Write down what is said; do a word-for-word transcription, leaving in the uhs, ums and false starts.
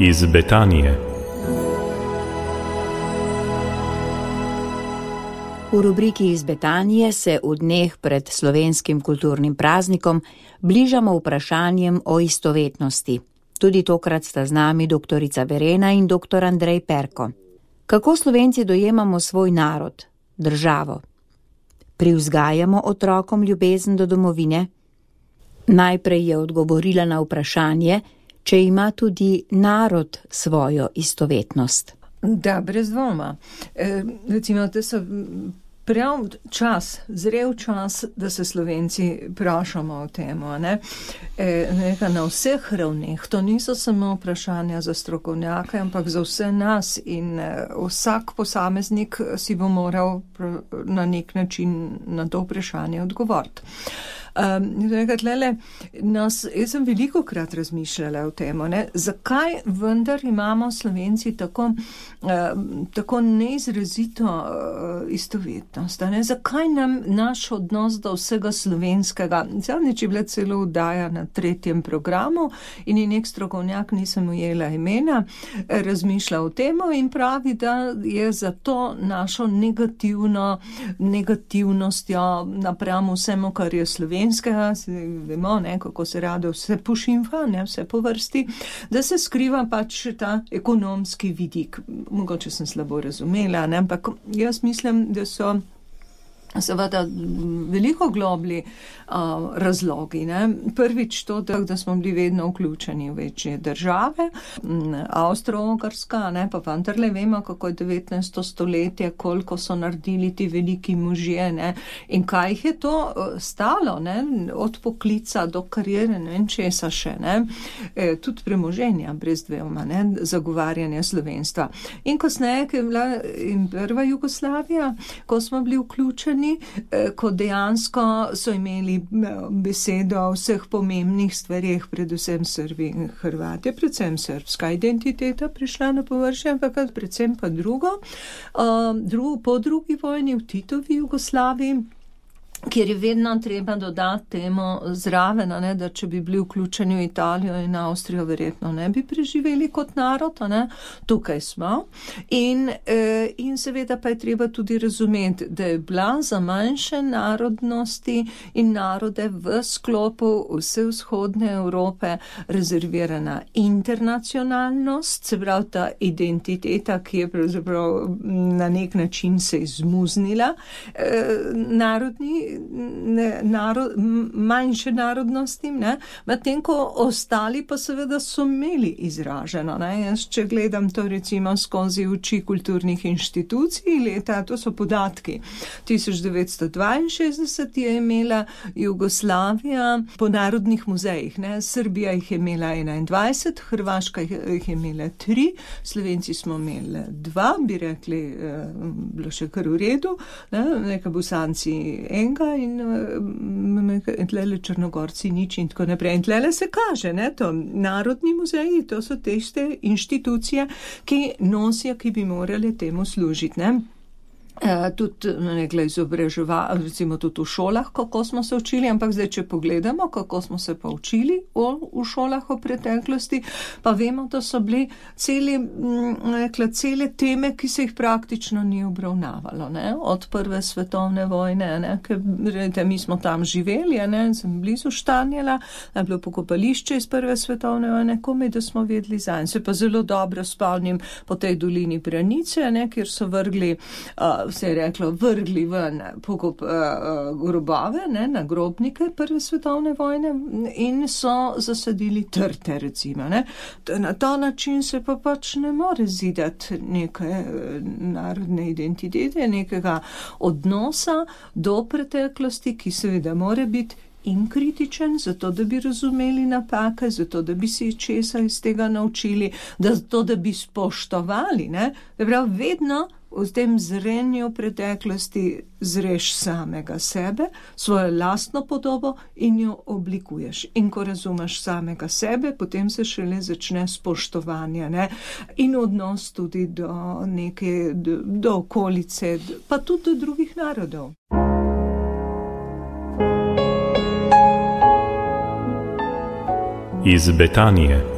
Iz Betanije. V rubriki Iz Betanije se v dneh pred slovenskim kulturnim praznikom bližamo vprašanjem o istovetnosti. Tudi tokrat sta z nami doktorica Verena in doktor Andrej Perko. Kako Slovenci dojemamo svoj narod, državo? Privzgajamo otrokom ljubezen do domovine? Najprej je odgovorila na vprašanje, če ima tudi narod svojo istovetnost. Da, brez dvoma. E, recimo, da so prav čas, zrel čas, da se Slovenci vprašamo o temo. Ne? E, neka na vseh ravneh. To niso samo vprašanja za strokovnjake, ampak za vse nas in e, vsak posameznik si bo moral na nek način na to vprašanje odgovoriti. Um, tlele, nas, jaz sem veliko krat razmišljala o tem, zakaj vendar imamo Slovenci tako, uh, tako neizrazito uh, istovetnost, ne? Zakaj nam naš odnos do vsega slovenskega, zadnjič je bila celo vdaja na tretjem programu in je nek strokovnjak, nisem ujela imena, razmišlja o tem in pravi, da je zato našo negativno, negativnostjo napram vsemu, kar je slovensko, vemo, ne, kako se rado vse pošimfa, ne, vse po vrsti, da se skriva pač ta ekonomski vidik. Mogoče sem slabo razumela, ne, ampak jaz mislim, da so seveda veliko globli uh, razlogi. Ne. Prvič to, da, da smo bili vedno vključeni v večje države, Avstro-Ogrska, ne, pa vendarle vemo, kako je devetnajsto stoletje, koliko so naredili ti veliki možje, ne, in kaj jih je to stalo, ne, od poklica do karijere, ne vem česa še, ne, e, tudi premoženja, brez dvoma, ne, zagovarjanja slovenstva. In kasneje, ko je bila in prva Jugoslavija, ko smo bili vključeni, ko dejansko so imeli besedo o vseh pomembnih stvarih, predvsem Srbi in Hrvati, predvsem srbska identiteta prišla na površje, ampak predvsem pa drugo, drugo po drugi vojni v Titovi Jugoslaviji, kjer je vedno treba dodati temu zraven, ne, da če bi bili vključeni v Italijo in Avstrijo, verjetno ne bi preživeli kot narod, ne. Tukaj smo. In, eh, in seveda pa je treba tudi razumeti, da je bila za manjše narodnosti in narode v sklopu vse vzhodne Evrope rezervirana internacionalnost, se pravi ta identiteta, ki je pravzaprav na nek način se izmuznila, eh, narodni Ne, narod, manjše narodnosti, medtem ko ostali pa seveda so imeli izraženo. Ne. Jaz, če gledam to recimo skozi oči kulturnih inštitucij, leta, to so podatki, tisoč devetsto dvainšestdeset je imela Jugoslavija po narodnih muzejih. Ne. Srbija jih je imela enaindvajset, Hrvaška jih je imela tri, Slovenci smo imeli dva, bi rekli, bilo še kar v redu, ne, neka Bosanci enega, in uh, tlele Črnogorci nič in tako naprej. In tlele se kaže, ne, to narodni muzeji, to so tiste inštitucije, ki nosijo, ki bi morali temu služiti, ne. Uh, tudi nekaj izobraževanja, recimo tudi v šolah, kako smo se učili, ampak zdaj, če pogledamo, kako smo se pa učili v, v šolah v preteklosti, pa vemo, da so bili celi, nekaj, cele teme, ki se jih praktično ni obravnavalo, ne, od prve svetovne vojne, ne, ker rejte, mi smo tam živeli, ne, sem blizu Štanjela, je bilo pokopališče iz prve svetovne vojne, komaj, da smo vedeli zanj. Se pa zelo dobro spomnim po tej dolini Branice, ne, kjer so vrgli uh, se je reklo, vrgli ven pokop, uh, grobove, ne, na grobnike prve svetovne vojne in so zasadili trte, recimo. Ne. Na ta način se pa pač ne more zidati neke narodne identitete, nekega odnosa do preteklosti, ki seveda more biti in kritičen, zato da bi razumeli napake, zato da bi se česa iz tega naučili, zato da bi spoštovali, ne. Prav, vedno v tem zrenju preteklosti zreš samega sebe, svojo lastno podobo in jo oblikuješ. In ko razumeš samega sebe, potem se šele začne spoštovanje, ne? In odnos tudi do neke, do, do okolice, pa tudi do drugih narodov. Iz Betanije.